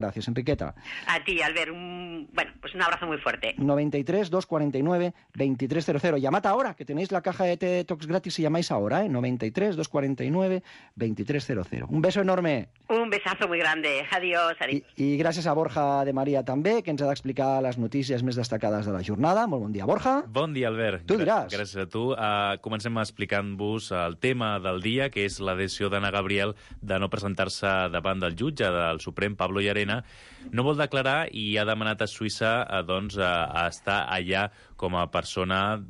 Gracias, Enriqueta. A ti, Albert, un abrazo muy fuerte. 93 249 2300. Llamad ahora, que tenéis la caja de T-Tox gratis si llamáis ahora, 93 249 2300. Un beso enorme. Un besazo muy grande. Adiós. I gràcies a Borja de Maria també, que ens ha d'explicar les notícies més destacades de la jornada. Molt bon dia, Borja. Bon dia, Albert. Tu diràs. Gràcies a tu. Comencem explicant-vos el tema del dia, que és la decisió d'Anna Gabriel de no presentar-se davant del jutge del Suprem, Pablo Llarena. No vol declarar i ha demanat a Suïssa a estar allà com a persona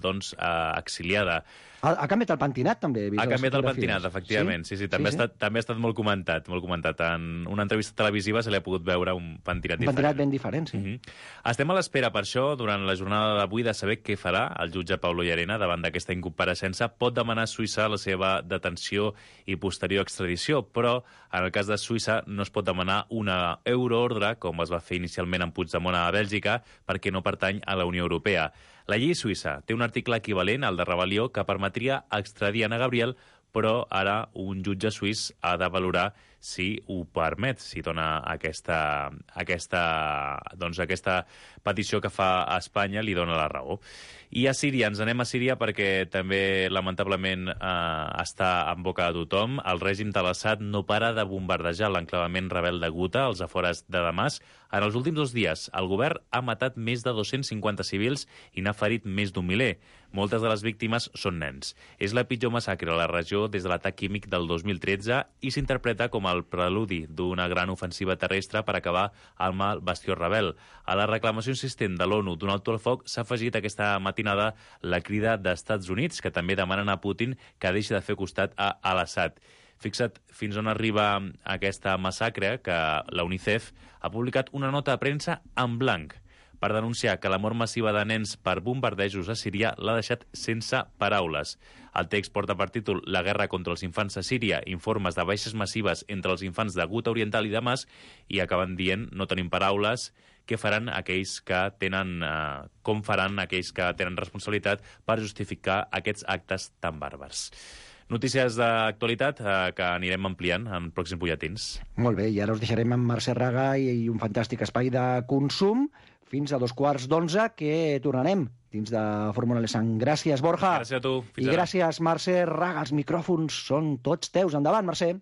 exiliada. Ha canviat el pentinat, també? Ha canviat el pentinat, efectivament. Sí. També ha estat molt comentat. En una entrevista televisiva se li ha pogut veure un pentinat diferent. Un pentinat ben diferent, sí. Estem a l'espera, per això, durant la jornada d'avui, de saber què farà el jutge Pablo Llarena davant d'aquesta incompareixença. Pot demanar a Suïssa la seva detenció i posterior extradició, però en el cas de Suïssa no es pot demanar una euroordre, com es va fer inicialment en Puigdemont a Bèlgica, perquè no pertany a la Unió Europea. La llei suïssa té un article equivalent al de rebel·lió que permetria extradir Anna Gabriel, però ara un jutge suís ha de valorar si ho permet, si dona aquesta petició que fa a Espanya li dona la raó. I a Síria, ens anem a Síria perquè també, lamentablement, està en boca de tothom. El règim de l'Assad no para de bombardejar l'enclavament rebel de Guta, als afores de Damasc. En els últims 2 dies, el govern ha matat més de 250 civils i n'ha ferit més d'1 miler. Moltes de les víctimes són nens. És la pitjor massacre a la regió des de l'atac químic del 2013 i s'interpreta com el preludi d'una gran ofensiva terrestre per acabar amb el bastió rebel. A la reclamació insistent de l'ONU d'un alto al foc s'ha afegit aquesta matinada la crida d'Estats Units, que també demanen a Putin que deixi de fer costat a Al-Assad. Fixa't fins on arriba aquesta massacre, que la UNICEF ha publicat una nota de premsa en blanc per denunciar que la mort massiva de nens per bombardejos a Síria l'ha deixat sense paraules. El text porta per títol La guerra contra els infants a Síria, informes de baixes massives entre els infants de Guta Oriental i Damasc, i acaben dient, no tenim paraules, què faran aquells que tenen, com faran aquells que tenen responsabilitat per justificar aquests actes tan bàrbars. Notícies d'actualitat que anirem ampliant en pròxims butlletins. Molt bé, i ara us deixarem amb Mercè Raga i un fantàstic espai de consum fins a 11:15, que tornarem dins de Fórmula Lesang. Gràcies, Borja. Gràcies a tu. I gràcies, Mercè Raga. Els micròfons són tots teus. Endavant, Mercè.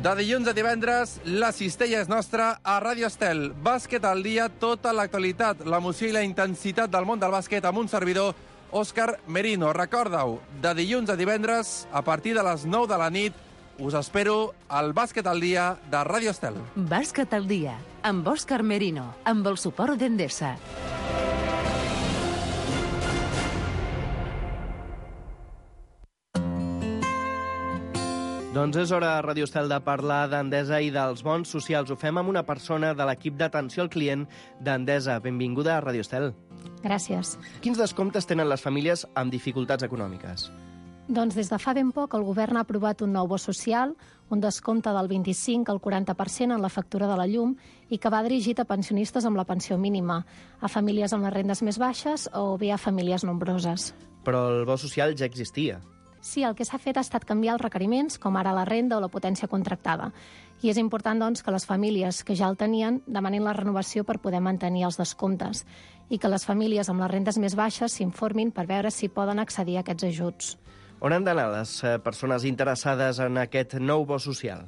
De dilluns a divendres, la cistella és nostra a Ràdio Estel. Bàsquet al dia, tota l'actualitat, l'emoció i la intensitat del món del bàsquet amb un servidor, Òscar Merino. Recorda-ho, de dilluns a divendres, a partir de les 9 de la nit, us espero al Bàsquet al dia de Ràdio Estel. Bàsquet al dia, amb Òscar Merino, amb el suport d'Endesa. Doncs és hora a Ràdio Estel de parlar d'Endesa i dels bons socials. Ho fem amb una persona de l'equip d'atenció al client d'Endesa. Benvinguda a Ràdio Estel. Gràcies. Quins descomptes tenen les famílies amb dificultats econòmiques? Doncs des de fa ben poc el govern ha aprovat un nou bo social, un descompte del 25 al 40% en la factura de la llum i que va dirigit a pensionistes amb la pensió mínima, a famílies amb les rendes més baixes o bé a famílies nombroses. Però el bo social ja existia. Sí, el que s'ha fet ha estat canviar els requeriments, com ara la renda o la potència contractada. I és important, doncs, que les famílies que ja el tenien demanin la renovació per poder mantenir els descomptes i que les famílies amb les rendes més baixes s'informin per veure si poden accedir a aquests ajuts. On han d'anar les persones interessades en aquest nou bo social?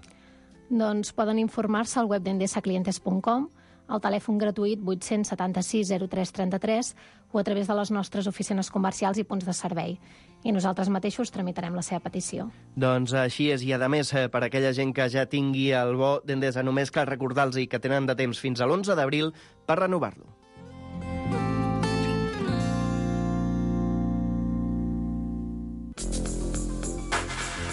Doncs poden informar-se al web d'endesaclientes.com, al telèfon gratuït 876 03 33 o a través de les nostres oficines comercials i punts de servei. I nosaltres mateixos tramitarem la seva petició. Doncs així és, i a més, per aquella gent que ja tingui el bo d'Endesa, només cal recordar-los que tenen de temps fins a l'11 d'abril per renovar-lo.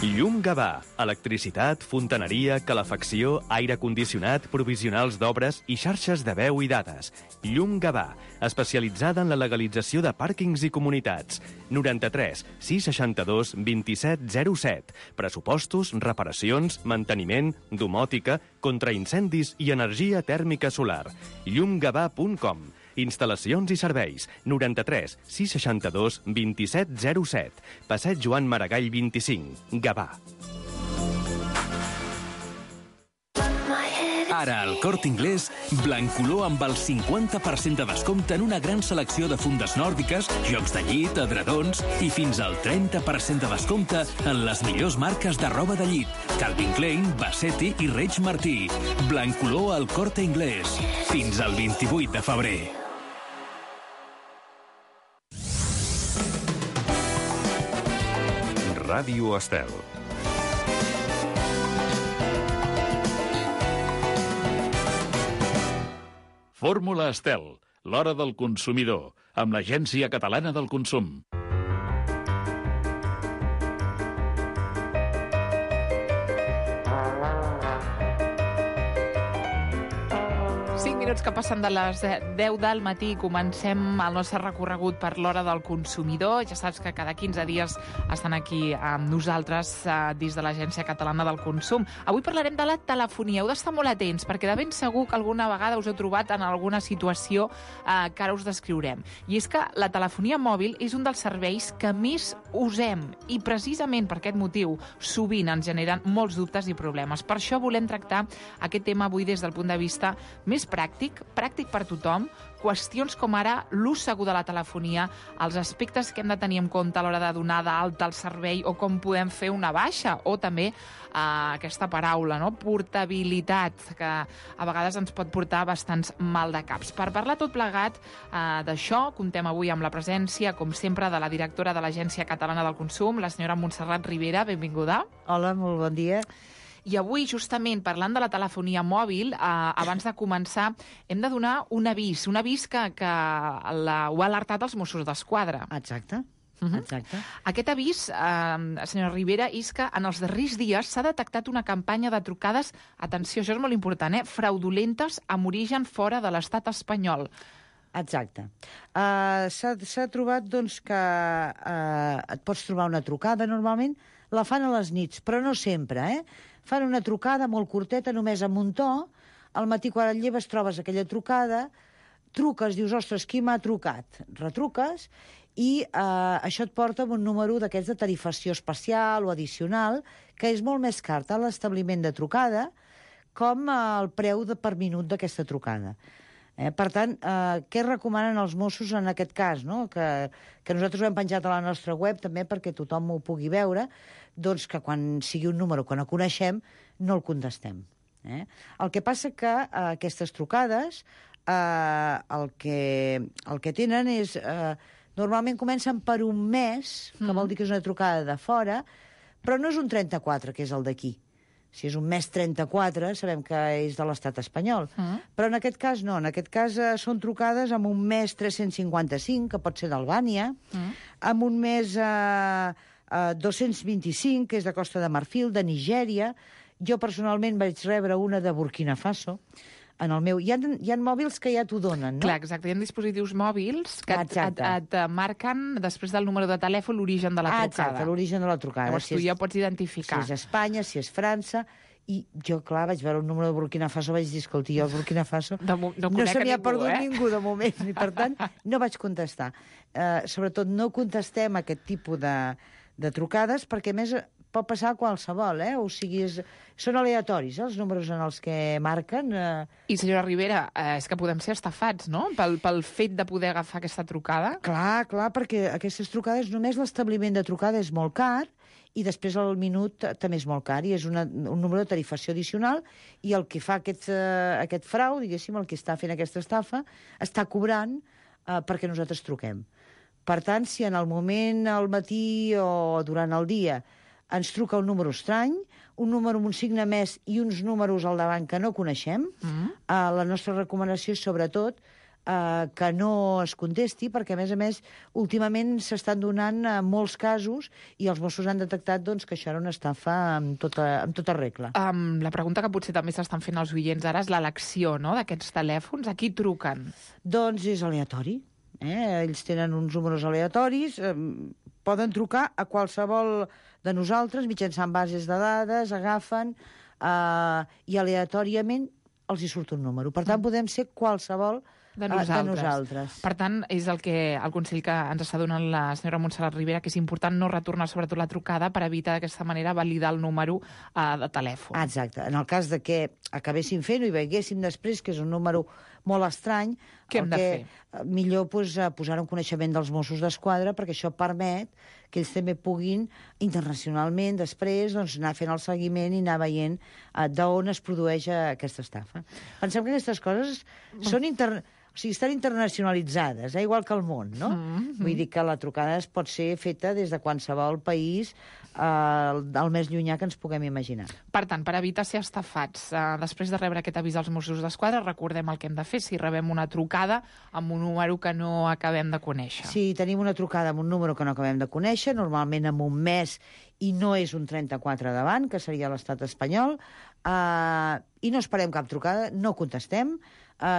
Llum Gavà. Electricitat, fontaneria, calefacció, aire condicionat, provisionals d'obres i xarxes de veu i dades. Llum Gavà, especialitzada en la legalització de pàrquings i comunitats. 93 662 27 07. Pressupostos, reparacions, manteniment, domòtica, contraincendis i energia tèrmica solar. llumgavà.com. Instal·lacions i serveis. 93 662 27 07. Passeig Joan Maragall 25. Gavà. Ara al Corte Inglés, Blancolor amb el 50% de descompte en una gran selecció de fundes nòrdiques, jocs de llit, edredons i fins al 30% de descompte en les millors marques de roba de llit. Calvin Klein, Bassetti i Reig Martí. Blancolor al Corte Inglés. Fins al 28 de febrer. Ràdio Estel. Fórmula Estel, l'hora del consumidor, amb l'Agència Catalana del Consum. Que passen de les 10 del matí, comencem el nostre recorregut per l'hora del consumidor. Ja saps que cada 15 dies estan aquí amb nosaltres dins de l'Agència Catalana del Consum. Avui parlarem de la telefonia. Heu d'estar molt atents, perquè de ben segur que alguna vegada us heu trobat en alguna situació que ara us descriurem. I és que la telefonia mòbil és un dels serveis que més usem i precisament per aquest motiu sovint ens generen molts dubtes i problemes. Per això volem tractar aquest tema avui des del punt de vista més pràctic per tothom, qüestions com ara l'ús segur de la telefonia, els aspectes que hem de tenir en compte a l'hora de donar d'alta al servei o com podem fer una baixa, o també aquesta paraula, no? Portabilitat, que a vegades ens pot portar bastants maldecaps. Per parlar tot plegat d'això, comptem avui amb la presència, com sempre, de la directora de l'Agència Catalana del Consum, la senyora Montserrat Ribera. Benvinguda. Ho bon dia. I avui, justament, parlant de la telefonia mòbil, abans de començar, hem de donar un avís que ho ha alertat els Mossos d'Esquadra. Exacte. Exacte. Aquest avís, senyora Ribera, és que en els darrers dies s'ha detectat una campanya de trucades, atenció, això és molt important, fraudulentes amb origen fora de l'estat espanyol. Exacte. S'ha trobat doncs, que et pots trobar una trucada, normalment la fan a les nits, però no sempre, Fan una trucada molt curteta, només amb un to, al matí quan et lleves trobes aquella trucada, truques, dius, ostres, qui m'ha trucat? Retruques, i això et porta a un número d'aquests de tarifació especial o addicional, que és molt més car tant l'establiment de trucada com el preu per minut d'aquesta trucada. Per tant, què recomanen els Mossos en aquest cas, no? Que nosaltres ho hem penjat a la nostra web també perquè tothom ho pugui veure, doncs que quan sigui un número que no coneixem, no el contestem. El que passa que aquestes trucades el que tenen és... Normalment comencen per un mes, que vol dir que és una trucada de fora, però no és un 34, que és el d'aquí. Si és un mes 34, sabem que és de l'estat espanyol. Però en aquest cas no. En aquest cas són trucades amb un mes 355, que pot ser d'Albània, amb un mes 225, que és de Costa de Marfil, de Nigèria. Jo personalment vaig rebre una de Burkina Faso. En el meu... Hi ha mòbils que ja t'ho donen, no? Clar, exacte. Hi ha dispositius mòbils que et marquen, després del número de telèfon, l'origen de la trucada. Exacte, l'origen de la trucada. Llavors tu ja pots identificar. Si és Espanya, si és França... I jo, clar, vaig veure un número de Burkina Faso, vaig dir, escolti, jo el Burkina Faso no se m'hi ha perdut ningú de moment, i per tant no vaig contestar. Sobretot no contestem aquest tipus de trucades, perquè a més pot passar a qualsevol, o sigui, són aleatoris, els números en els que marquen. I, senyora Ribera, és que podem ser estafats, no?, pel fet de poder agafar aquesta trucada. Clar, perquè aquestes trucades, només l'establiment de trucada és molt car, i després el minut també és molt car, i és un número de tarifació addicional, i el que fa aquest frau, diguéssim, el que està fent aquesta estafa, està cobrant perquè nosaltres truquem. Per tant, si en el moment, al matí o durant el dia, ens truca un número estrany, un número amb un signe més i uns números al davant que no coneixem, la nostra recomanació és, sobretot, que no es contesti, perquè, a més, últimament s'estan donant molts casos i els Mossos han detectat que això era una estafa amb tota regla. La pregunta que potser també s'estan fent els oients ara és l'elecció, no?, d'aquests telèfons. A qui truquen? Doncs és aleatori. Ells tenen uns números aleatoris, poden trucar a qualsevol de nosaltres mitjançant bases de dades, agafen i aleatòriament els hi surt un número. Per tant, podem ser qualsevol de nosaltres. De nosaltres. Per tant, és el consell que ens està donant la senyora Montserrat Ribera, que és important no retornar sobretot la trucada per evitar d'aquesta manera validar el número de telèfon. Exacte. En el cas de que acabéssim fent-ho i veiéssim després que és un número molt estrany, què hem de fer? Millor posar en coneixement dels Mossos d'Esquadra, perquè això permet que ells també puguin internacionalment després anar fent el seguiment i anar veient d'on es produeix aquesta estafa. Pensem que aquestes coses són estan internacionalitzades, igual que el món, no? Vull dir que la trucada pot ser feta des de qualsevol país el més llunyà que ens puguem imaginar. Per tant, per evitar ser estafats, després de rebre aquest avís dels Mossos d'Esquadra, recordem el que hem de fer si rebem una trucada amb un número que no acabem de conèixer. Si tenim una trucada amb un número que no acabem de conèixer, normalment amb un mes i no és un 34 davant, que seria l'estat espanyol, i no esperem cap trucada, no contestem.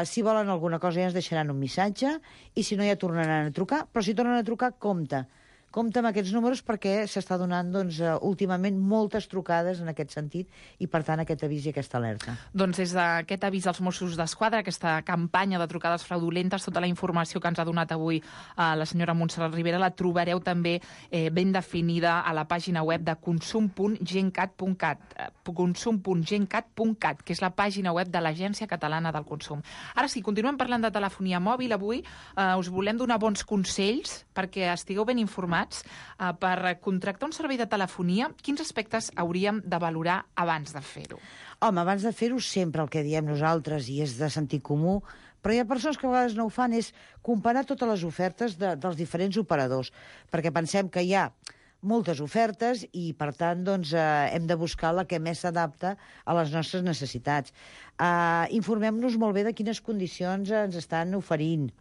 Si volen alguna cosa ja ens deixaran un missatge i si no ja tornaran a trucar, però si tornen a trucar, compte amb aquests números perquè s'està donant últimament moltes trucades en aquest sentit i per tant aquest avís i aquesta alerta. Doncs des d'aquest avís dels Mossos d'Esquadra, aquesta campanya de trucades fraudulentes, tota la informació que ens ha donat avui la senyora Montserrat Ribera la trobareu també ben definida a la pàgina web de consum.gencat.cat, consum.gencat.cat, que és la pàgina web de l'Agència Catalana del Consum. Ara sí, continuem parlant de telefonia mòbil. Avui us volem donar bons consells perquè estigueu ben informats. Per contractar un servei de telefonia, quins aspectes hauríem de valorar abans de fer-ho? Home, abans de fer-ho sempre el que diem nosaltres, i és de sentit comú, però hi ha persones que a vegades no ho fan, és comparar totes les ofertes dels diferents operadors, perquè pensem que hi ha moltes ofertes i, per tant, hem de buscar la que més s'adapta a les nostres necessitats. Informem-nos molt bé de quines condicions ens estan oferint,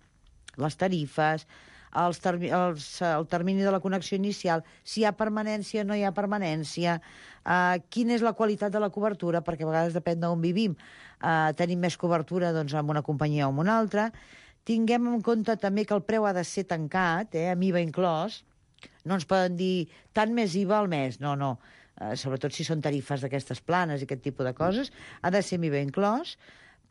les tarifes, el termini de la connexió inicial, si hi ha permanència o no hi ha permanència, quina és la qualitat de la cobertura, perquè a vegades depèn d'on vivim. Tenim més cobertura amb una companyia o amb una altra. Tinguem en compte també que el preu ha de ser tancat, amb IVA inclòs. No ens poden dir tant més IVA al mes, no. Sobretot si són tarifes d'aquestes planes i aquest tipus de coses, ha de ser amb IVA inclòs.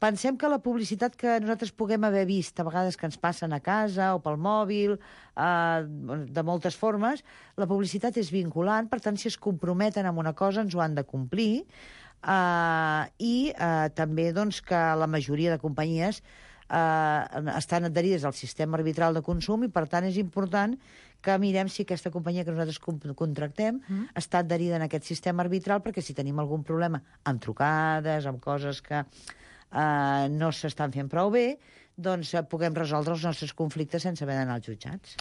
Pensem que la publicitat que nosaltres puguem haver vist, a vegades que ens passen a casa o pel mòbil, de moltes formes, la publicitat és vinculant, per tant, si es comprometen amb una cosa, ens ho han de complir, i també que la majoria de companyies estan adherides al sistema arbitral de consum i, per tant, és important que mirem si aquesta companyia que nosaltres contractem està adherida en aquest sistema arbitral, perquè si tenim algun problema amb trucades, amb coses que no s'estan fent prou bé, doncs puguem resoldre els nostres conflictes sense haver d'anar als jutjats.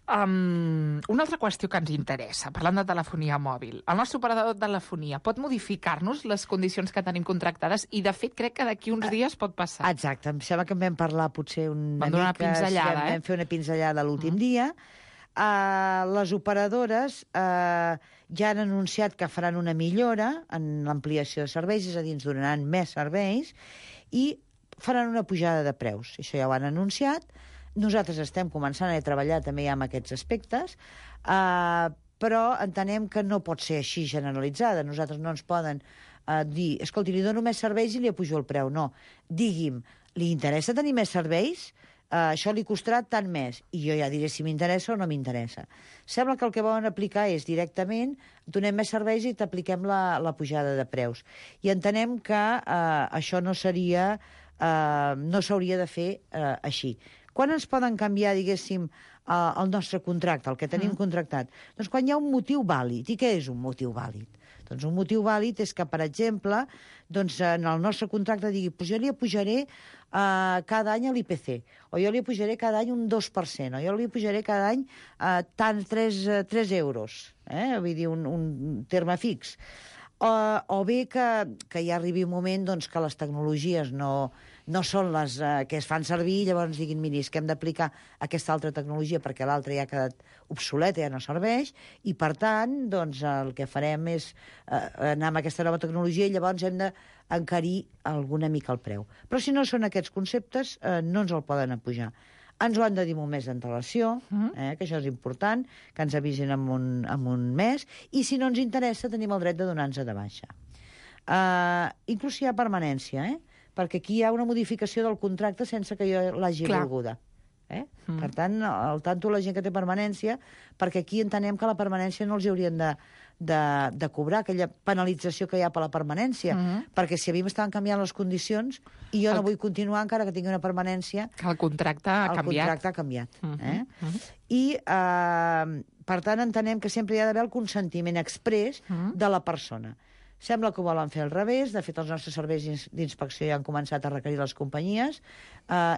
Una altra qüestió que ens interessa, parlant de telefonia mòbil. El nostre operador de telefonia pot modificar-nos les condicions que tenim contractades i, de fet, crec que d'aquí uns dies pot passar. Exacte. Em sembla que en vam parlar potser una mica... Vam fer una pinzellada l'últim dia. Les operadores ja han anunciat que faran una millora en l'ampliació de serveis, és a dir, ens donaran més serveis, i faran una pujada de preus. Això ja ho han anunciat. Nosaltres estem començant a treballar també amb aquests aspectes, però entenem que no pot ser així generalitzada. Nosaltres no ens poden dir, escolti, li dono més serveis i li apujo el preu. No, digui'm, li interessa tenir més serveis? Això li costarà tant més, i jo ja diré si m'interessa o no m'interessa. Sembla que el que volen aplicar és directament donem més serveis i t'apliquem la pujada de preus. I entenem que això no s'hauria de fer així. Quan ens poden canviar, diguéssim, el nostre contracte, el que tenim contractat? Doncs quan hi ha un motiu vàlid. I què és un motiu vàlid? Doncs un motiu vàlid és que, per exemple, en el nostre contracte digui jo li apujaré cada any l'IPC, o jo li apujaré cada any un 2%, o jo li apujaré cada any tant 3 euros, vull dir, un terme fix. O bé que ja arribi un moment que les tecnologies no són les que es fan servir, llavors diguin, miri, és que hem d'aplicar aquesta altra tecnologia perquè l'altra ja ha quedat obsoleta, ja no serveix, i per tant, el que farem és anar amb aquesta nova tecnologia i llavors hem d'encarir alguna mica el preu. Però si no són aquests conceptes, no ens el poden apujar. Ens ho han de dir molt més d'antelació, que això és important, que ens avisen en un mes, i si no ens interessa tenim el dret de donar-nos de baixa. Inclús si hi ha permanència, perquè aquí hi ha una modificació del contracte sense que jo l'hagi volguda. Per tant, al tanto la gent que té permanència, perquè aquí entenem que la permanència no els haurien de cobrar aquella penalització que hi ha per la permanència, perquè si a mi m'estaven canviant les condicions i jo no vull continuar encara que tingui una permanència... Que el contracte ha canviat. El contracte ha canviat. I, per tant, entenem que sempre hi ha d'haver el consentiment exprés de la persona. Sembla que ho volen fer al revés. De fet, els nostres serveis d'inspecció ja han començat a requerir les companyies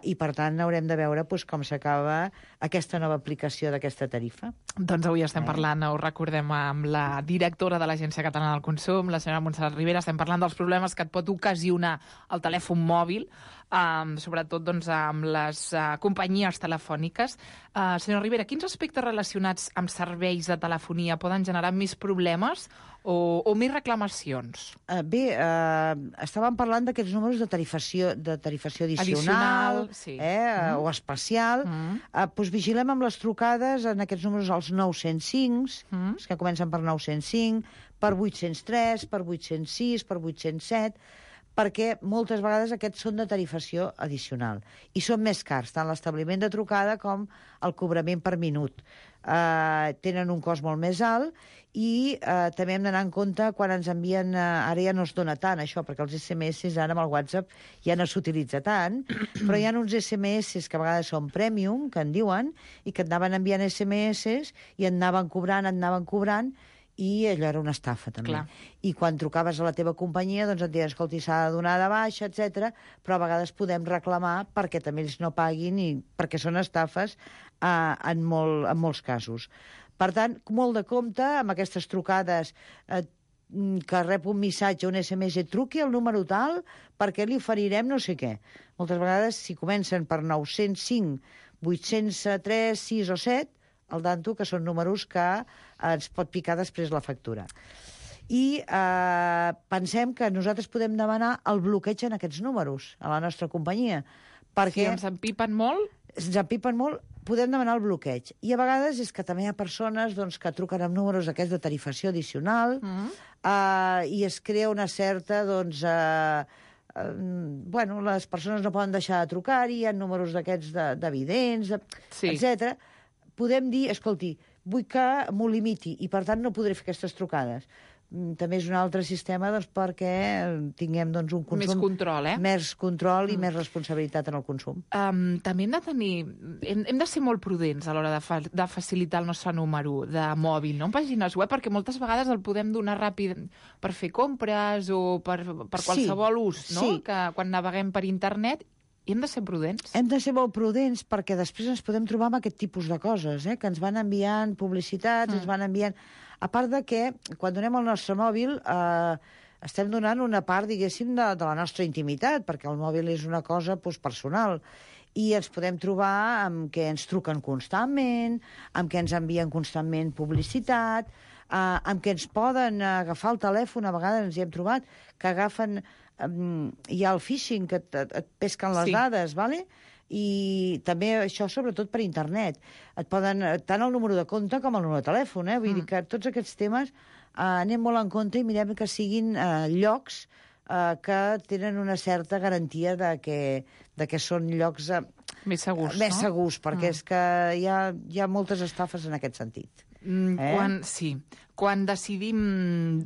i, per tant, haurem de veure com s'acaba aquesta nova aplicació d'aquesta tarifa. Doncs avui estem parlant, ho recordem, amb la directora de l'Agència Catalana del Consum, la senyora Montserrat Ribera. Estem parlant dels problemes que et pot ocasionar el telèfon mòbil, sobretot amb les companyies telefòniques. Senyora Ribera, quins aspectes relacionats amb serveis de telefonia poden generar més problemes o més reclamacions? Bé, estàvem parlant d'aquests números de tarifació addicional o especial. Doncs vigilem amb les trucades en aquests números als 905, els que comencen per 905, per 803, per 806, per 807, perquè moltes vegades aquests són de tarifació addicional i són més cars, tant l'establiment de trucada com el cobrament per minut. Tenen un cost molt més alt i també hem d'anar en compte quan ens envien... Ara ja no es dona tant això, perquè els SMS ara amb el WhatsApp ja no s'utilitza tant, però hi ha uns SMS que a vegades són premium, que en diuen, i que et anaven enviant SMS i et anaven cobrant, i allò era una estafa, també. Clar. I quan trucaves a la teva companyia, doncs et diuen, escolti, s'ha de donar de baixa, etc. Però a vegades podem reclamar perquè també ells no paguin i perquè són estafes en molts casos. Per tant, molt de compte amb aquestes trucades que rep un missatge, un SMS, truqui al número tal perquè li oferirem no sé què. Moltes vegades, si comencen per 905, 803, 6 o 7, al tanto que són números que ens pot picar després la factura. I pensem que nosaltres podem demanar el bloqueig en aquests números a la nostra companyia. Perquè si ens empipen molt? Ens empipen molt, podem demanar el bloqueig. I a vegades és que també hi ha persones que truquen amb números aquests de tarifació addicional i es crea una certa... les persones no poden deixar de trucar-hi, hi ha números d'aquests d'evidents, etc. Podem dir, escolti, vull que m'ho limiti i, per tant, no podré fer aquestes trucades. També és un altre sistema perquè tinguem un consum... Més control, Més control i més responsabilitat en el consum. També hem de tenir... Hem de ser molt prudents a l'hora de facilitar el nostre número de mòbil, no? En pàgines web, perquè moltes vegades el podem donar ràpid per fer compres o per qualsevol ús, no? Sí. Que quan naveguem per internet... I hem de ser prudents. Hem de ser molt prudents perquè després ens podem trobar amb aquest tipus de coses, que ens van enviant publicitats, ens van enviant... A part de que, quan donem el nostre mòbil, estem donant una part, diguéssim, de la nostra intimitat, perquè el mòbil és una cosa personal. I ens podem trobar amb que ens truquen constantment, amb que ens envien constantment publicitat, amb que ens poden agafar el telèfon, a vegades ens hi hem trobat, que agafen... hi ha el phishing, que et pesquen les dades, ¿vale? I també això sobretot per internet. Et poden, tant el número de compte com el número de telèfon, vull dir que tots aquests temes anem molt en compte i mirem que siguin llocs que tenen una certa garantia de que són llocs més segurs, més segurs, perquè és que hi ha moltes estafes en aquest sentit. Quan decidim,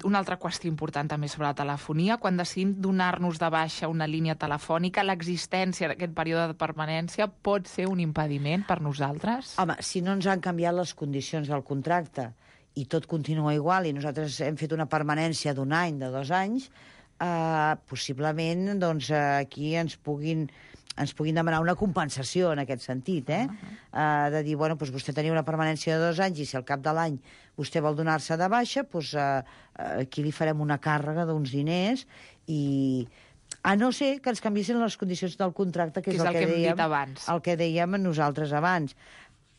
una altra qüestió important també sobre la telefonia, quan decidim donar-nos de baixa una línia telefònica, l'existència d'aquest període de permanència pot ser un impediment per nosaltres? Home, si no ens han canviat les condicions del contracte i tot continua igual i nosaltres hem fet una permanència d'1 any, de 2 anys, possiblement aquí ens puguin demanar una compensació en aquest sentit, de dir, vostè tenia una permanència de 2 anys i si al cap de l'any vostè vol donar-se de baixa, aquí li farem una càrrega d'uns diners i a no ser que ens canviessin les condicions del contracte, que és el que hem dit abans. El que dèiem nosaltres abans.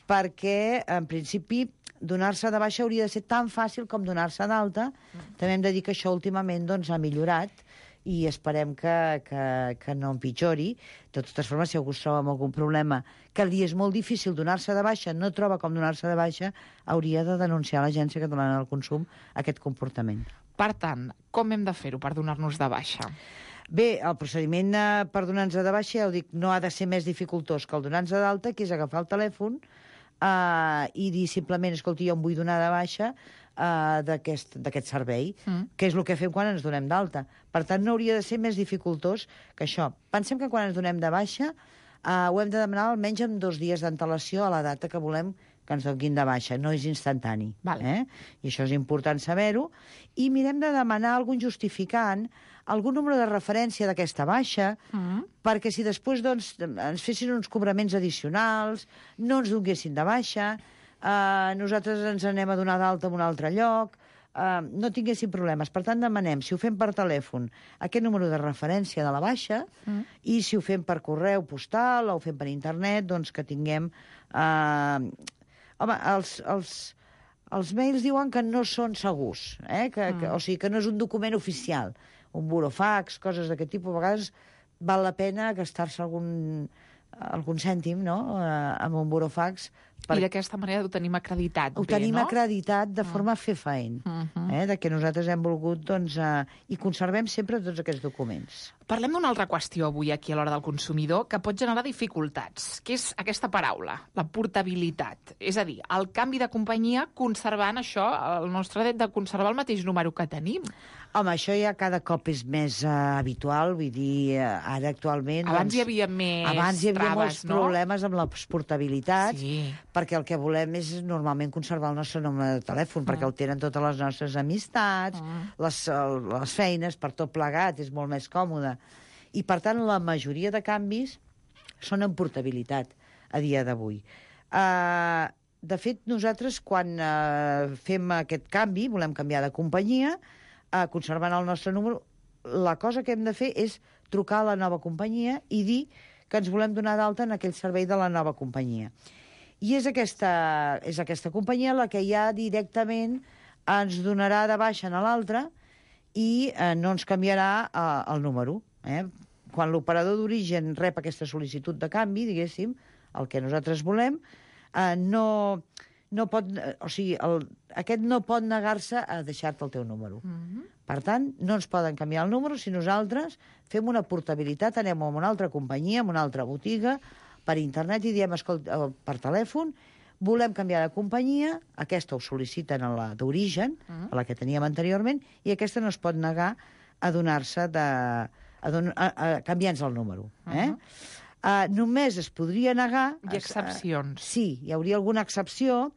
Perquè, en principi, donar-se de baixa hauria de ser tan fàcil com donar-se d'alta. També hem de dir que això últimament ha millorat i esperem que no empitjori. De totes formes, si algú es troba amb algun problema que li és molt difícil donar-se de baixa, no troba com donar-se de baixa, hauria de denunciar a l'Agència Catalana del Consum aquest comportament. Per tant, com hem de fer-ho per donar-nos de baixa? Bé, el procediment per donar-nos de baixa, ja ho dic, no ha de ser més dificultós que el donar-nos d'alta, que és agafar el telèfon i dir simplement, escolti, jo em vull donar de baixa d'aquest servei, que és el que fem quan ens donem d'alta. Per tant, no hauria de ser més dificultós que això. Pensem que quan ens donem de baixa ho hem de demanar almenys amb 2 dies d'antelació a la data que volem que ens donin de baixa, no és instantani. I això és important saber-ho. I mirem de demanar algun justificant, algun número de referència d'aquesta baixa, perquè si després ens fessin uns cobraments addicionals, no ens donguessin de baixa, nosaltres ens anem a donar d'alta en un altre lloc, no tinguessin problemes. Per tant, demanem, si ho fem per telèfon, aquest número de referència de la baixa, i si ho fem per correu postal o ho fem per internet, doncs que tinguem... Home, els mails diuen que no són segurs, o sigui, que no és un document oficial, un burofax, coses d'aquest tipus. A vegades val la pena gastar-se algun cèntim, no?, amb un burofax. I d'aquesta manera ho tenim acreditat bé, no? Ho tenim acreditat de forma fefaent, de que nosaltres hem volgut, doncs, i conservem sempre tots aquests documents. Parlem d'una altra qüestió avui aquí a l'Hora del Consumidor que pot generar dificultats, que és aquesta paraula, la portabilitat. És a dir, el canvi de companyia conservant això, el nostre dret de conservar el mateix número que tenim. Home, això ja cada cop és més habitual, vull dir, ara actualment... Abans hi havia més traves, abans hi havia molts problemes amb les portabilitats, sí, perquè el que volem és normalment conservar el nostre número de telèfon, perquè el tenen totes les nostres amistats, les feines, per tot plegat, és molt més còmode. I, per tant, la majoria de canvis són en portabilitat a dia d'avui. De fet, nosaltres, quan fem aquest canvi, volem canviar de companyia, conservant el nostre número, la cosa que hem de fer és trucar a la nova companyia i dir que ens volem donar d'alta en aquell servei de la nova companyia. I és aquesta companyia la que ja directament ens donarà de baixa a l'altra i no ens canviarà el número. Quan l'operador d'origen rep aquesta sol·licitud de canvi, diguéssim, el que nosaltres volem, no pot, o sigui, aquest no pot negar-se a deixar-te el teu número. Per tant, no ens poden canviar el número si nosaltres fem una portabilitat, anem a una altra companyia, a una altra botiga, per internet i diem, escolta, per telèfon, volem canviar de companyia, aquesta ho sol·liciten a la d'origen, a la que teníem anteriorment, i aquesta no es pot negar a donar-se a canviar-nos el número. Només es podria negar... Hi ha excepcions. Sí, hi hauria alguna excepció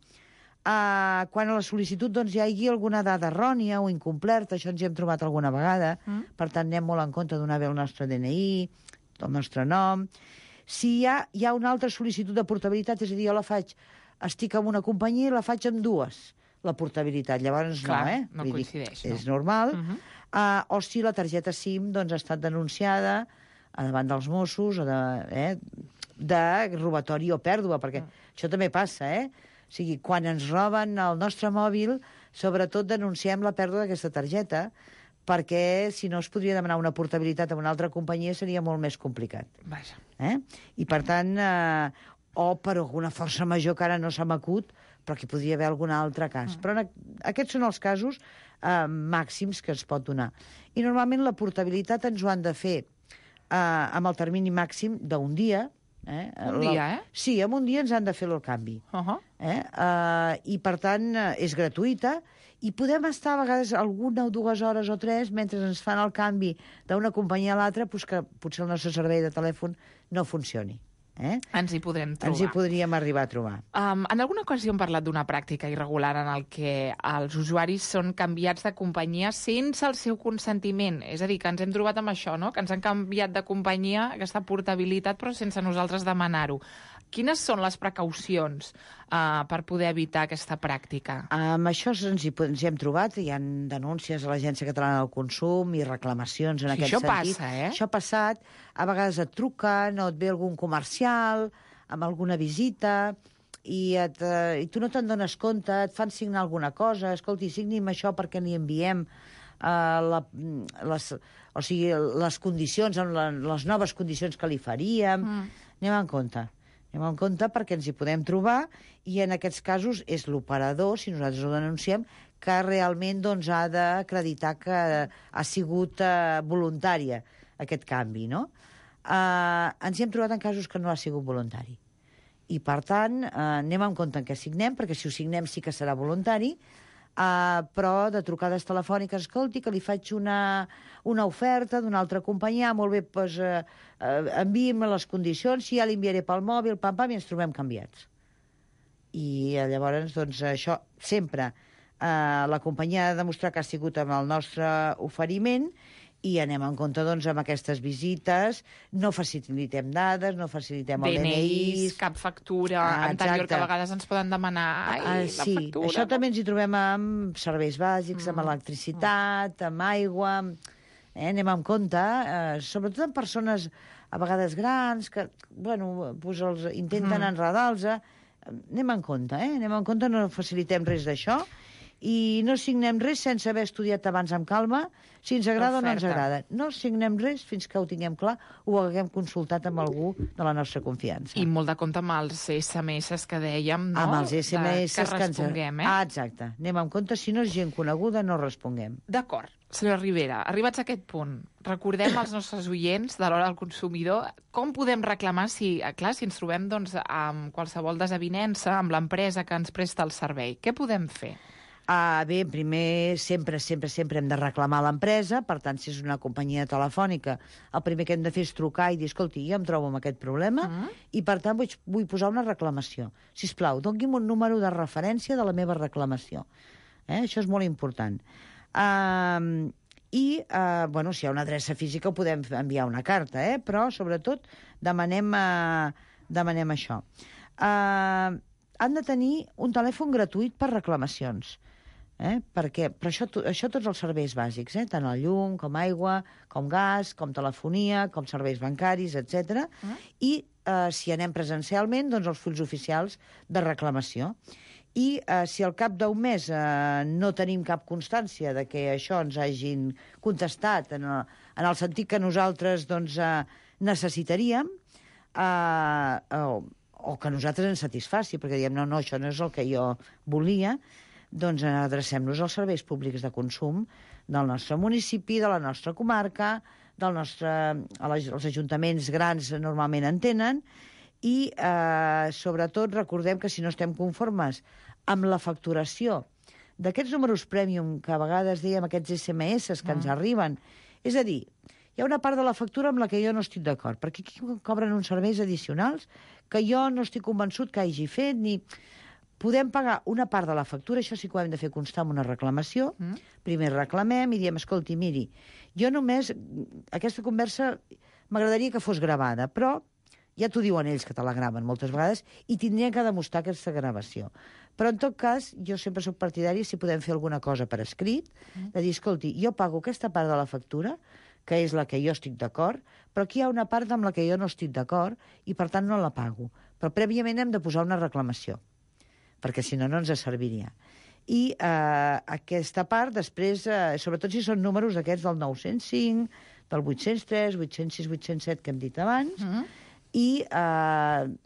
quan a la sol·licitud hi hagi alguna dada errònia o incomplerta, això ens hi hem trobat alguna vegada, per tant anem molt en compte de donar bé el nostre DNI, el nostre nom. Si hi ha una altra sol·licitud de portabilitat, és a dir, jo estic en una companyia i la faig amb dues, la portabilitat, llavors no coincideix. És normal. O si la targeta SIM ha estat denunciada davant dels Mossos de robatori o pèrdua, perquè això també passa, O sigui, quan ens roben el nostre mòbil, sobretot denunciem la pèrdua d'aquesta targeta, perquè si no es podria demanar una portabilitat a una altra companyia seria molt més complicat. Vaja. I per tant, o per alguna força major que ara no se m'acut, però que podria haver algun altre cas. Però aquests són els casos màxims que es pot donar. I normalment la portabilitat ens ho han de fer amb el termini màxim d'un dia. Un dia, Sí, en un dia ens han de fer el canvi. I, per tant, és gratuïta i podem estar a vegades alguna o 2 hores o 3 mentre ens fan el canvi d'una companyia a l'altra, que potser el nostre servei de telèfon no funcioni. Ens hi podrem trobar. Ens hi podríem arribar a trobar. En alguna ocasió hem parlat d'una pràctica irregular en el que els usuaris són canviats de companyia sense el seu consentiment. És a dir, que ens hem trobat amb això, no? Que ens han canviat de companyia, aquesta portabilitat, però sense nosaltres demanar-ho. Quines són les precaucions per poder evitar aquesta pràctica? Amb això ens hi hem trobat. Hi ha denúncies a l'Agència Catalana del Consum i reclamacions en aquest sentit. Això passa, Això ha passat. A vegades et truquen o et ve algun comercial amb alguna visita i tu no te'n dones compte, et fan signar alguna cosa. Escolti, signi'm això perquè li enviem les condicions, les noves condicions que li faríem. Anem en compte. Anem en compte perquè ens hi podem trobar i en aquests casos és l'operador, si nosaltres ho denunciem, que realment ha d'acreditar que ha sigut voluntària aquest canvi, no? Ens hi hem trobat en casos que no ha sigut voluntari. I, per tant, anem amb compte en què signem, perquè si ho signem sí que serà voluntari, però de trucades telefòniques, escolti, que li faig una oferta d'una altra companyia, molt bé, doncs, enviï'm les condicions, si ja l'enviaré pel mòbil, pam, i ens trobem canviats. I llavors, doncs, això sempre la companyia ha de demostrar que ha sigut amb el nostre oferiment i anem en compte, doncs, amb aquestes visites, no facilitem dades, no facilitem el DNI... cap factura anterior, que a vegades ens poden demanar la factura. Això també ens hi trobem amb serveis bàsics, amb electricitat, amb aigua... Anem en compte, sobretot amb persones a vegades grans, que, bueno, doncs els intenten enredar-los. Anem en compte, no facilitem res d'això, i no signem res sense haver estudiat abans amb calma si ens agrada o no ens agrada. No signem res fins que ho tinguem clar o ho haguem consultat amb algú de la nostra confiança. I molt de compte amb els SMS que dèiem, no? Amb els SMS que responguem, exacte. Anem en compte, si no és gent coneguda, no responguem. D'acord. Senyora Rivera, arribats a aquest punt, recordem als nostres oients de l'hora del consumidor com podem reclamar si ens trobem doncs, amb qualsevol desavinença amb l'empresa que ens presta el servei. Què podem fer? Bé, primer, sempre hem de reclamar a l'empresa, per tant, si és una companyia telefònica, el primer que hem de fer és trucar i dir, escolti, jo em trobo amb aquest problema i, per tant, vull posar una reclamació. Sisplau, doni'm un número de referència de la meva reclamació. Això és molt important. I, bueno, si hi ha una adreça física podem enviar una carta, però, sobretot, demanem això. Han de tenir un telèfon gratuït per reclamacions. Perquè, però això tots els serveis bàsics, tant el llum, com aigua, com gas, com telefonia, com serveis bancaris, etc. I si anem presencialment, doncs els fulls oficials de reclamació. I si al cap d'un mes no tenim cap constància de que això ens hagin contestat en el sentit que nosaltres necessitaríem, o que nosaltres ens satisfaci, perquè diem, no, això no és el que jo volia, doncs adrecem-nos als serveis públics de consum del nostre municipi, de la nostra comarca, els ajuntaments grans normalment en tenen, i sobretot recordem que si no estem conformes amb la facturació d'aquests números prèmium que a vegades dèiem, aquests SMS que ens arriben, és a dir, hi ha una part de la factura amb la que jo no estic d'acord, perquè aquí cobren uns serveis addicionals que jo no estic convençut que hagi fet, ni... Podem pagar una part de la factura, això sí que ho hem de fer constar en una reclamació. Primer reclamem i diem, escolti, miri, jo només... Aquesta conversa m'agradaria que fos gravada, però ja t'ho diuen ells que te la graven moltes vegades i tindrien que demostrar aquesta gravació. Però, en tot cas, jo sempre soc partidari si podem fer alguna cosa per escrit, de dir, escolti, jo pago aquesta part de la factura, que és la que jo estic d'acord, però aquí hi ha una part amb la que jo no estic d'acord i, per tant, no la pago. Però prèviament hem de posar una reclamació, perquè si no, no ens serviria. I aquesta part, després, sobretot si són números aquests del 905, del 803, 806, 807 que hem dit abans, i,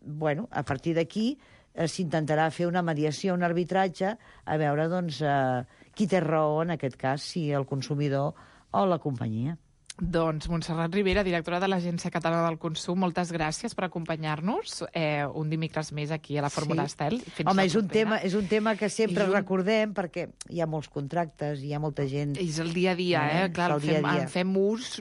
bueno, a partir d'aquí s'intentarà fer una mediació, un arbitratge, a veure, doncs, qui té raó en aquest cas, si el consumidor o la companyia. Doncs Montserrat Rivera, directora de l'Agència Catalana del Consum, moltes gràcies per acompanyar-nos un dimecres més aquí a la Fórmula Estel. Home, és un tema que sempre recordem perquè hi ha molts contractes, hi ha molta gent... És el dia a dia, clar, en fem ús...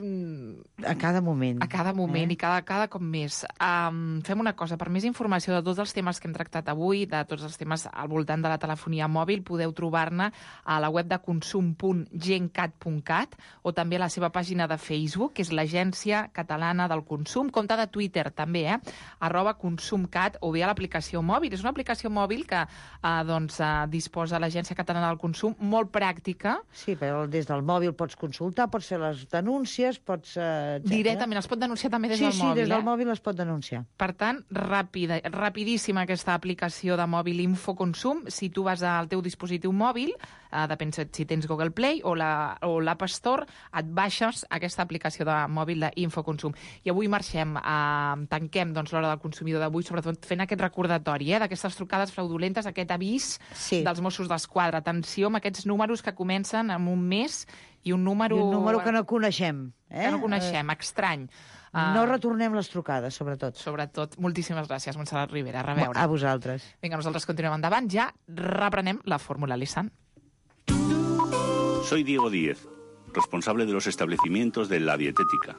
A cada moment. A cada moment i cada cop més. Fem una cosa, per més informació de tots els temes que hem tractat avui, de tots els temes al voltant de la telefonia mòbil, podeu trobar-ne a la web de consum.gencat.cat o també a la seva pàgina de Facebook, que és l'Agència Catalana del Consum, compte de Twitter també, @consumcat, o bé a l'aplicació mòbil. És una aplicació mòbil que disposa l'Agència Catalana del Consum, molt pràctica. Sí, però des del mòbil pots consultar, pots fer les denúncies, pots... Directament, es pot denunciar també des del mòbil. Sí, des del mòbil es pot denunciar. Per tant, rapidíssima aquesta aplicació de mòbil Infoconsum. Si tu vas al teu dispositiu mòbil, depèn si tens Google Play o l'App Store, et baixes aquesta aplicació de mòbil d'Infoconsum. I avui marxem, tanquem l'hora del consumidor d'avui, sobretot fent aquest recordatori d'aquestes trucades fraudulentes, aquest avís dels Mossos d'Esquadra. Atenció amb aquests números que comencen amb un mes i un número... I un número que no coneixem. Que no coneixem, estrany. No retornem les trucades, sobretot. Sobretot. Moltíssimes gràcies, Montserrat Rivera. A reveure. A vosaltres. Vinga, nosaltres continuem endavant. Ja reprenem la fórmula Nissan. Soy Diego Díez, responsable de los establecimientos de La Dietética.